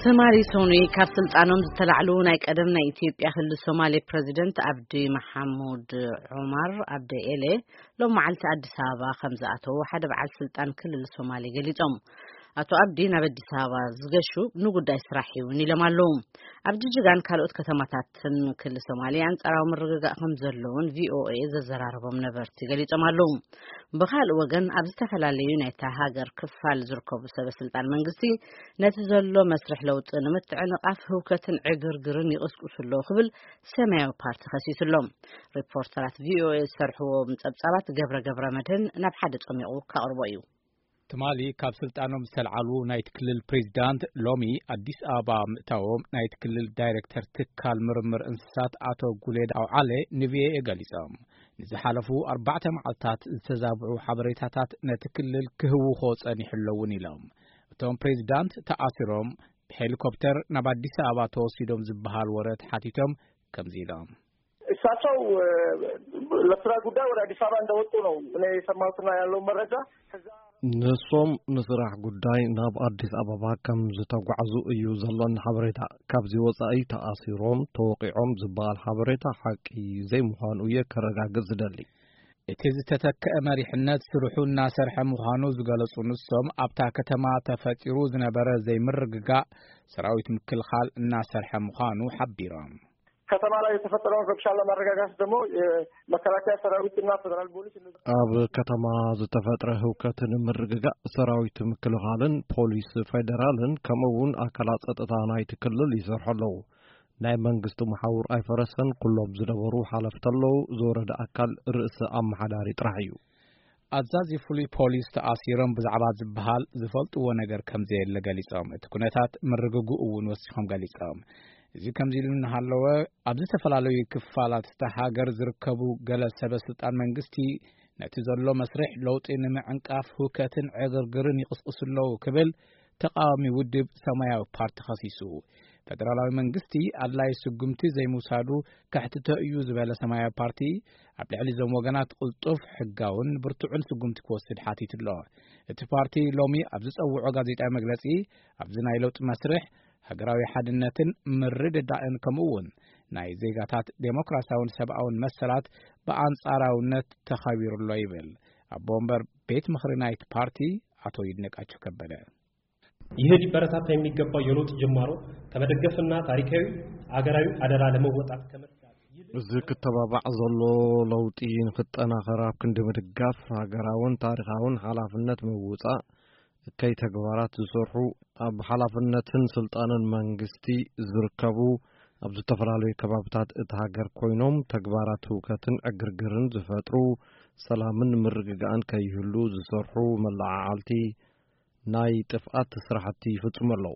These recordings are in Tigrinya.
ትማሊ ሰኑይ ካብ ስልጣኖም ዝተላዕሉ ናይ ቀደም ናይ ኢትዮጵያ ክልል ሶማሌ ፕረዚደንት ኣብዲ መሓሙድ ዑማር ኣብደ ኤሌ ሎም መዓልቲ ኣዲስ ኣበባ ከም ዝኣተዉ ሓደ በዓል ስልጣን ክልል ሶማሌ ገሊጾም። ኣቶ ኣብዲ ናብ ኣዲስ ኣበባ ዝገሹ ንጉዳይ ስራሕ እውን ኢሎም ኣለዉ። ኣብ ጅጅጋን ካልኦት ከተማታትን ክልል ሶማሌ ኣንጻራዊ ምርግጋእ ከም ዘለውን ቪኦኤ ዘዘራረቦም ነበርቲ ገሊጾም ኣለዉ። ብኻልእ ወገን ኣብ ዝተፈላለዩ ናይታ ሃገር ክፋል ዝርከቡ ሰበ ስልጣን መንግስቲ ነቲ ዘሎ መስርሕ ለውጢ ንምትዕንቓፍ ህውከትን ዕግርግርን ይቕስቅሱ ኣለዉ ክብል ሰማያዊ ፓርቲ ከሲሱ ኣሎ። ሪፖርተራት ቪኦኤ ዝሰርሕዎም ጸብጻባት ገብረ ገብረ መድህን ናብ ሓደ ጸሚቑ ከቕርቦ እዩ። ትማሊ ካብ ስልጣኖም ዝተልዓሉ ናይቲ ክልል ፕሬዚዳንት ሎሚ ኣዲስ ኣበባ ምእታዎም ናይቲ ክልል ዳይሬክተር ትካል ምርምር እንስሳት ኣቶ ጉሌድ ኣውዓለ ንቪኦኤ ገሊጾም። ንዝሓለፉ ኣርባዕተ መዓልታት ዝተዛብዑ ሓበሬታታት ነቲ ክልል ክህውኾ ጸኒሑ ኣለውን ኢሎም። እቶም ፕሬዚዳንት ተኣሲሮም ብሄሊኮፕተር ናብ ኣዲስ ኣበባ ተወሲዶም ዝበሃል ወረ ተሓቲቶም ከምዚ ኢሎም። እሳቸው ለስራ ጉዳይ ወደ አዲስ አበባ እንደወጡ ነው እኔ የሰማሁትና ያለው መረጃ። ከዛ ንሶም ንስራሕ ጉዳይ ናብ ኣዲስ ኣበባ ከም ዝተጓዕዙ እዩ ዘሎኒ ሓበሬታ። ካብዚ ወጻኢ ተኣሲሮም፣ ተወቒዖም ዝበሃል ሓበሬታ ሓቂ ዘይምዃኑ እየ ከረጋግጽ ዝደሊ። እቲ ዝተተክአ መሪሕነት ስርሑ እናሰርሐ ምዃኑ ዝገለጹ ንሶም፣ ኣብታ ከተማ ተፈጢሩ ዝነበረ ዘይምርግጋእ ሰራዊት ምክልኻል እናሰርሐ ምዃኑ ሓቢሮም። ከተማ ላይ የተፈጠረውን ረብሻ ለማረጋጋት ደግሞ የመከላከያ ሰራዊትና ፌደራል ፖሊስ እነዚህ ኣብ ከተማ ዝተፈጥረ ህውከት ንምርግጋእ ሰራዊት ምክልኻልን ፖሊስ ፌደራልን ከምኡ እውን ኣካላት ጸጥታ ናይቲ ክልል ይሰርሑ ኣለዉ። ናይ መንግስቲ መሓውር ኣይፈረሰን። ኩሎም ዝነበሩ ሓለፍቲ ኣለዉ። ዝወረደ ኣካል ርእሰ ኣመሓዳሪ ጥራሕ እዩ። ኣዛዚ ፍሉይ ፖሊስ ተኣሲሮም ብዛዕባ ዝበሃል ዝፈልጥዎ ነገር ከም ዘየለ ገሊጾም፣ እቲ ኩነታት ምርግግኡ እውን ወሲኾም ገሊጾም። እዚ ከምዚ ኢሉ እናሃለወ፣ ኣብ ዝተፈላለዩ ክፋላት እታ ሃገር ዝርከቡ ገለ ሰበ ስልጣን መንግስቲ ነቲ ዘሎ መስርሕ ለውጢ ንምዕንቃፍ ህውከትን ዕግርግርን ይቕስቅሱ ኣለዉ ክብል ተቃዋሚ ውድብ ሰማያዊ ፓርቲ ከሲሱ። ፌደራላዊ መንግስቲ ኣድላይ ስጉምቲ ዘይምውሳዱ ከሕትቶ እዩ ዝበለ ሰማያዊ ፓርቲ፣ ኣብ ልዕሊ እዞም ወገናት ቅልጡፍ፣ ሕጋውን ብርቱዕን ስጉምቲ ክወስድ ሓቲቱ ኣሎ። እቲ ፓርቲ ሎሚ ኣብ ዝጸውዖ ጋዜጣዊ መግለጺ፣ ኣብዚ ናይ ለውጢ መስርሕ ሃገራዊ ሓድነትን ምርድዳእን ከምኡ እውን ናይ ዜጋታት ዴሞክራሲያውን ሰብኣውን መሰላት ብኣንጻራውነት ተኸቢሩ ኣሎ ይብል ኣቦ ወንበር ቤት ምኽሪ ናይቲ ፓርቲ ኣቶ ይድነቃቸው ከበደ። ይህ ሊበረታታ የሚገባው የለውጥ ጅማሮ ከመደገፍና ታሪካዊ አገራዊ አደራ ለመወጣት ከመትጋት እዚ ክተባባዕ ዘሎ ለውጢ ንክጠናኸር ኣብ ክንዲ ምድጋፍ ሃገራውን ታሪኻውን ሓላፍነት ምውፃእ እከይ ተግባራት ዝሰርሑ ኣብ ሓላፍነትን ስልጣንን መንግስቲ ዝርከቡ ኣብ ዝተፈላለዩ ከባብታት እቲ ሃገር ኮይኖም ተግባራት ህውከትን ዕግርግርን ዝፈጥሩ ሰላምን ምርግጋእን ከይህሉ ዝሰርሑ መለዓዓልቲ ናይ ጥፍኣት ስራሕቲ ይፍጽሙ ኣለዉ።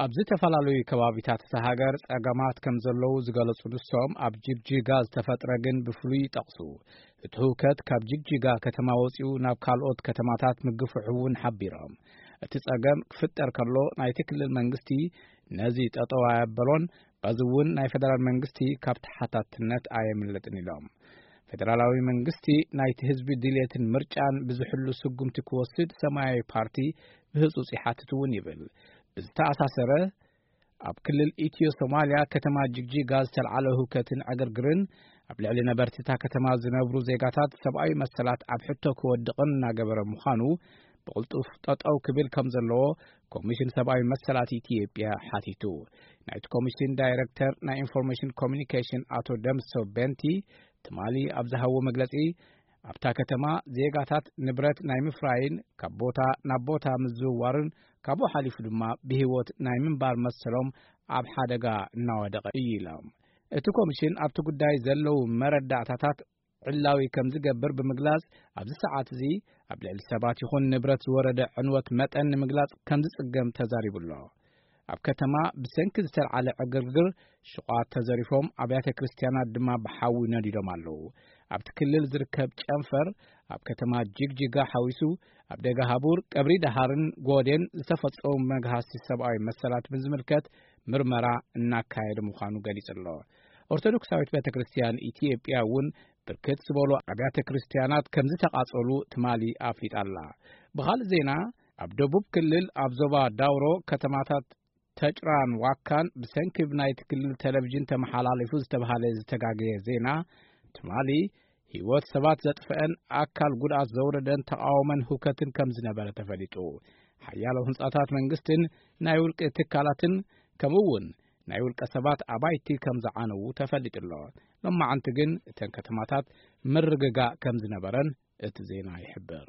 ኣብ ዝተፈላለዩ ከባቢታት እታ ሃገር ጸገማት ከም ዘለዉ ዝገለጹ ንሶም፣ ኣብ ጅግጅጋ ዝተፈጥረ ግን ብፍሉይ ይጠቕሱ። እቲ ህውከት ካብ ጅግጅጋ ከተማ ወጺኡ ናብ ካልኦት ከተማታት ምግፍሑ እውን ሓቢሮም፣ እቲ ጸገም ክፍጠር ከሎ ናይቲ ክልል መንግስቲ ነዚ ጠጠው ኣየበሎን፣ በዚ እውን ናይ ፌደራል መንግስቲ ካብ ተሓታትነት ኣየምልጥን ኢሎም። ፌደራላዊ መንግስቲ ናይቲ ህዝቢ ድልየትን ምርጫን ብዝሕሉ ስጉምቲ ክወስድ ሰማያዊ ፓርቲ ብህጹጽ ይሓትት እውን ይብል። ብዝተኣሳሰረ፣ ኣብ ክልል ኢትዮ ሶማልያ ከተማ ጅግጂጋ ዝተልዓለ ህውከትን ዕግርግርን ኣብ ልዕሊ ነበርቲ እታ ከተማ ዝነብሩ ዜጋታት ሰብኣዊ መሰላት ኣብ ሕቶ ክወድቕን እናገበረ ምዃኑ ብቕልጡፍ ጠጠው ክብል ከም ዘለዎ ኮሚሽን ሰብኣዊ መሰላት ኢትዮጵያ ሓቲቱ። ናይቲ ኮሚሽን ዳይረክተር ናይ ኢንፎርሜሽን ኮሚኒኬሽን ኣቶ ደምሰው በንቲ ትማሊ ኣብ ዝሃቦ መግለጺ፣ ኣብታ ከተማ ዜጋታት ንብረት ናይ ምፍራይን ካብ ቦታ ናብ ቦታ ምዝውዋርን ካብኡ ሓሊፉ ድማ ብህይወት ናይ ምንባር መሰሎም ኣብ ሓደጋ እናወደቐ እዩ ኢሎም። እቲ ኮሚሽን ኣብቲ ጉዳይ ዘለዉ መረዳእታታት ዕላዊ ከም ዝገብር ብምግላጽ፣ ኣብዚ ሰዓት እዚ ኣብ ልዕሊ ሰባት ይኹን ንብረት ዝወረደ ዕንወት መጠን ንምግላጽ ከም ዝጽገም ተዛሪቡ ኣሎ። ኣብ ከተማ ብሰንኪ ዝተልዓለ ዕግርግር ሹቓት ተዘሪፎም፣ ኣብያተ ክርስትያናት ድማ ብሓዊ ነዲዶም ኣለዉ። ኣብቲ ክልል ዝርከብ ጨንፈር ኣብ ከተማ ጅግጅጋ ሓዊሱ ኣብ ደጋ ሃቡር፣ ቀብሪ ደሃርን ጎዴን ዝተፈጸሙ መግሃሲ ሰብኣዊ መሰላት ብዝምልከት ምርመራ እናካየደ ምዃኑ ገሊጹ ኣሎ። ኦርቶዶክሳዊት ቤተ ክርስትያን ኢትዮጵያ እውን ብርክት ዝበሉ ኣብያተ ክርስትያናት ከም ዝተቓጸሉ ትማሊ ኣፍሊጣ ኣላ። ብኻልእ ዜና፣ ኣብ ደቡብ ክልል ኣብ ዞባ ዳውሮ ከተማታት ሸጭራን ዋካን ብሰንኪ ብናይቲ ክልል ቴሌቪዥን ተመሓላሊፉ ዝተባሃለ ዝተጋገየ ዜና፣ ትማሊ ህይወት ሰባት ዘጥፍአን ኣካል ጉድኣት ዘውረደን ተቓውሞን ህውከትን ከም ዝነበረ ተፈሊጡ። ሓያሎ ህንጻታት መንግስትን ናይ ውልቂ ትካላትን፣ ከምኡ እውን ናይ ውልቀ ሰባት ኣባይቲ ከም ዝዓነዉ ተፈሊጡ ኣሎ። ሎማዓንቲ ግን እተን ከተማታት ምርግጋእ ከም ዝነበረን እቲ ዜና ይሕብር።